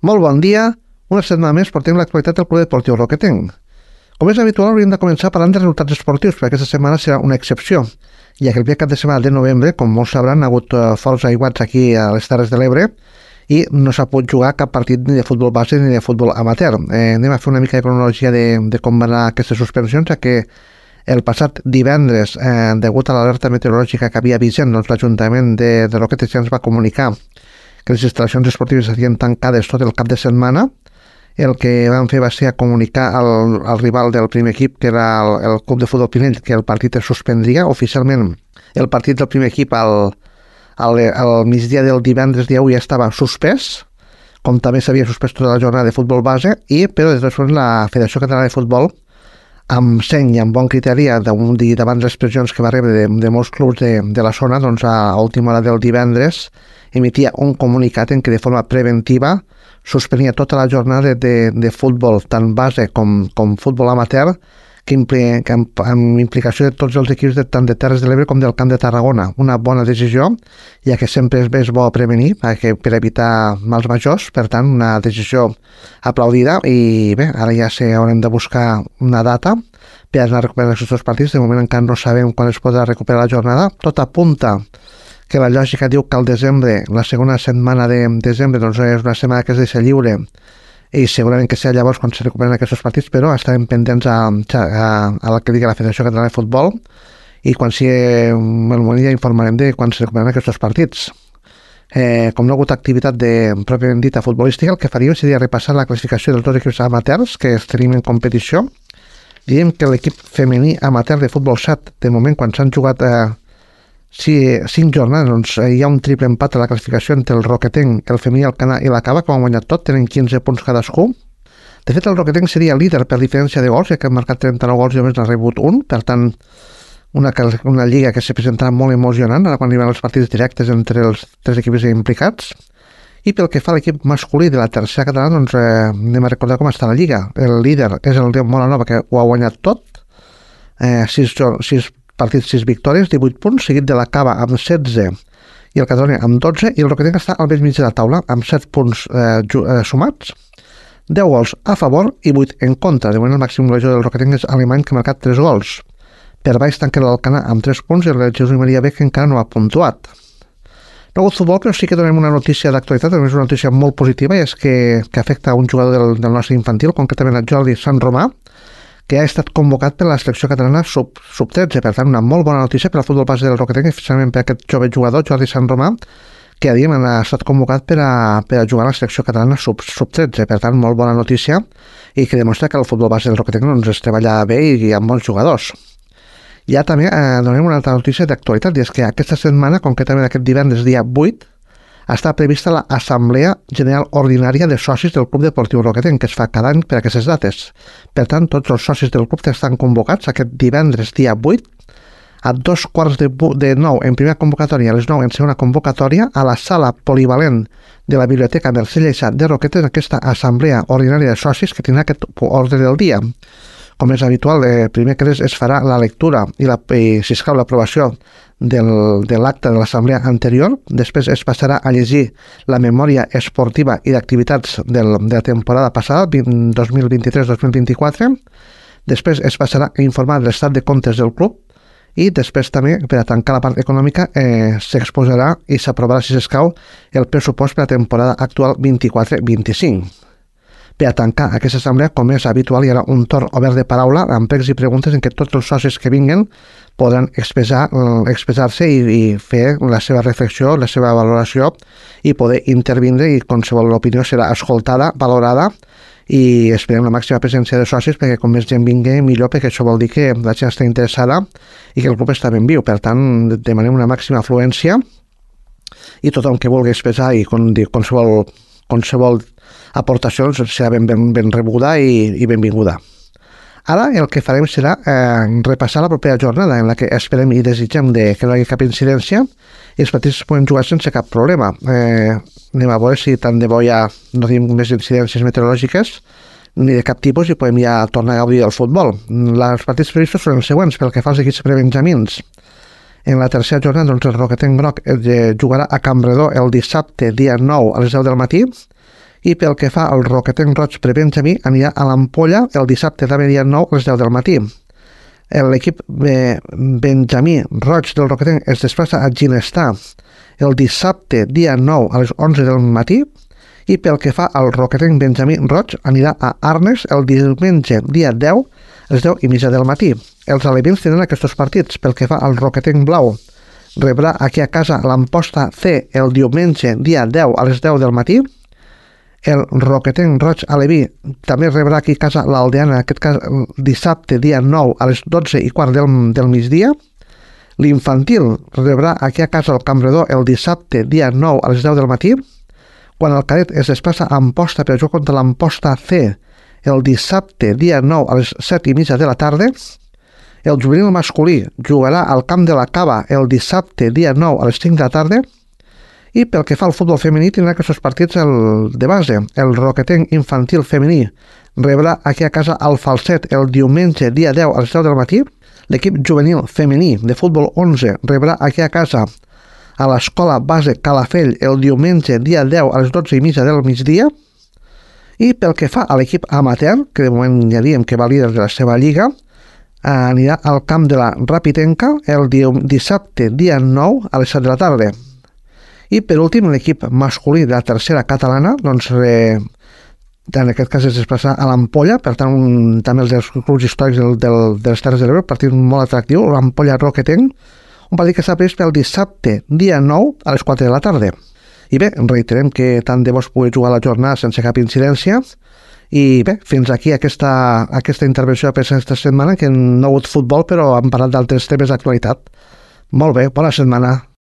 Molt bon dia. Una setmana més portem l'actualitat del Club Deportiu Roquetenc. Com és habitual, hauríem de començar parlant de resultats esportius, perquè aquesta setmana serà una excepció, ja que el dia cap de setmana de novembre, com molts sabran, ha hagut forts aiguats aquí a les Terres de l'Ebre i no s'ha pogut jugar cap partit ni de futbol base ni de futbol amateur. Anem a fer una mica de cronologia de com van anar aquestes suspensions, ja que el passat divendres, degut a l'alerta meteorològica que havia vigent, doncs l'Ajuntament de Roquetes ja ens va comunicar que les instal·lacions esportives estarien tancades tot el cap de setmana. El que van fer va ser comunicar al rival del primer equip, que era el Club de Futbol Pinell, que el partit es suspendria. Oficialment, el partit del primer equip al migdia del divendres dia 1 ja estava suspès, com també s'havia suspès tota la jornada de futbol base, però després la Federació Catalana de Futbol, amb seny i amb bon criteri, davant les pressions que va rebre de molts clubs de la zona, doncs a última hora del divendres emitia un comunicat en què de forma preventiva suspenia tota la jornada de futbol, tant base com futbol amateur, amb implicació de tots els equips tant de Terres de l'Ebre com del Camp de Tarragona. Una bona decisió, ja que sempre és bo prevenir per evitar mals majors, per tant, una decisió aplaudida. I bé, ara ja haurem de buscar una data per anar a recuperar aquests dos partits. De moment encara no sabem quan es podrà recuperar la jornada. Tot apunta que la lògica diu que al desembre, la segona setmana de desembre, doncs és una setmana que es deixa lliure i segurament que serà llavors quan se recuperen aquests partits, però estarem pendents a la que digui la Federació Catalana de Futbol i quan sigui el moment ja informarem de quan se recuperen aquests partits. Com no ha hagut activitat pròpiament dita futbolística, el que faríem seria repassar la classificació dels dos equips amateurs que tenim en competició. Diríem que l'equip femení amateur de futbol 7, de moment quan s'han jugat 5 jornades, doncs hi ha un triple empat a la classificació entre el Roquetenc, el femení, el Canà i la Cava, que han guanyat tot, tenen 15 punts cadascú. De fet, el Roquetenc seria líder per diferència de gols, ja que han marcat 39 gols i només n'ha rebut un, per tant, una lliga que se presentarà molt emocionant ara quan arriben els partits directes entre els tres equips implicats. I pel que fa a l'equip masculí de la tercera catalana, doncs anem a recordar com està la lliga. El líder és el de Molanova, que ho ha guanyat tot, 6 partits, 6 victòries, 18 punts, seguit de la Cava amb 16 i el Catalunya amb 12, i el Roquetenc està al mig de la taula amb 7 punts sumats, 10 gols a favor i 8 en contra. De moment el màxim golejador del Roquetenc és alemany, que ha marcat 3 gols. Per baix tanca l'Alcanar amb 3 punts i el Jesús Maria Beck encara no ha puntuat. No ha hagut futbol, però sí que donem una notícia d'actualitat, també és una notícia molt positiva, i és que afecta a un jugador del nostre infantil, concretament a Jordi Sant Romà, que ha estat convocat per la selecció catalana sub-13, per tant una molt bona notícia per al futbol base del Roquetenc, especialment per aquest jove jugador, Jordi Sant Romà, que ha estat convocat per a jugar a la selecció catalana sub-13, per tant molt bona notícia, i que demostra que el futbol base del Roquetenc doncs, es treballa bé i amb bons jugadors. Ja també donem una altra notícia d'actualitat, i és que aquesta setmana, concretament aquest divendres dia 8, està prevista l'Assemblea General Ordinària de Socis del Club Deportiu Roquetenc, que es fa cada any per aquestes dates. Per tant, tots els socis del club estan convocats aquest divendres dia 8 a 8:45 en primera convocatòria, a les 9 en segona convocatòria, a la sala polivalent de la Biblioteca Mercè Lleixà de Roquetes, en aquesta Assemblea Ordinària de Socis que tindrà aquest ordre del dia. Com és habitual, primer que es farà la lectura i si escau l'aprovació de l'acte de l'assemblea anterior. Després es passarà a llegir la memòria esportiva i d'activitats de la temporada passada, 2023-2024. Després es passarà a informar de l'estat de comptes del club i després també, per a tancar la part econòmica, s'exposarà i s'aprovarà, si s'escau, el pressupost per a la temporada actual 24-25. Per a tancar aquesta assemblea, com és habitual, hi haurà un torn obert de paraula amb pregs i preguntes en què tots els socis que vinguen podran expressar-se i fer la seva reflexió, la seva valoració i poder intervindre, i qualsevol opinió serà escoltada, valorada, i esperem la màxima presència de socis perquè com més gent vingui millor, perquè això vol dir que la gent està interessada i que el club està ben viu. Per tant, demanem una màxima afluència i tothom que vulgui expressar i qualsevol aportació serà ben rebuda i benvinguda. Ara el que farem serà repassar la propera jornada, en la que esperem i desitgem que no hi hagi cap incidència i els partits es poden jugar sense cap problema. Anem a veure si tant de bo ja no tenim més incidències meteorològiques ni de cap tipus i podem ja tornar a gaudir del futbol. Els partits previstos són els següents pel que fa als equips prebenjamins. En la tercera jornada, el Roquetenc Groc jugarà a Campredó el dissabte, dia 9, a les 10 del matí, I pel que fa al Roquetenc Roig Prebenjamí, anirà a l'Ampolla el dissabte també dia 9 a les 10 del matí. L'equip Benjamí Roig del Roquetenc es desplaça a Ginestar el dissabte dia 9 a les 11 del matí. I pel que fa al Roquetenc Benjamí Roig, anirà a Arnes el diumenge dia 10 a les 10:30 del matí. Els alevins tenen aquests partits. Pel que fa al Roquetenc Blau, rebrà aquí a casa l'Amposta C el diumenge dia 10 a les 10 del matí. El Roquetenc Roig Aleví també rebrà aquí a casa l'Aldeana, en aquest cas dissabte dia 9 a les 12:15 del migdia. L'Infantil rebrà aquí a casa el Campredó el dissabte dia 9 a les 10 del matí. Quan el cadet es desplaça a Amposta per jugar contra l'Amposta C el dissabte dia 9 a les 7:30 de la tarda. El juvenil masculí jugarà al Camp de la Cava el dissabte dia 9 a les 5 de la tarda. I pel que fa al futbol femení, tindrà aquests partits de base. El Roquetenc Infantil Femení rebrà aquí a casa el Falset el diumenge dia 10 a les 10 del matí. L'equip juvenil femení de futbol 11 rebrà aquí a casa a l'Escola Base Calafell el diumenge dia 10 a les 12:30 del migdia. I pel que fa a l'equip amateur, que de moment ja diem que va líder de la seva lliga, anirà al camp de la Rapitenca el dissabte dia 9 a les 7 de la tarda. I per últim, l'equip masculí de la tercera catalana, doncs en aquest cas es desplaça a l'Ampolla, per tant també els dels clubs històrics de les Terres de l'Ebre, partit molt atractiu, l'Ampolla Roquetenc, un partit que està previst pel dissabte dia 9 a les 4 de la tarda. I bé, reiterem que tant de bo es pugui jugar la jornada sense cap incidència. I bé, fins aquí aquesta intervenció per aquesta setmana, que no ha hagut futbol, però hem parlat d'altres temes d'actualitat. Molt bé, bona setmana.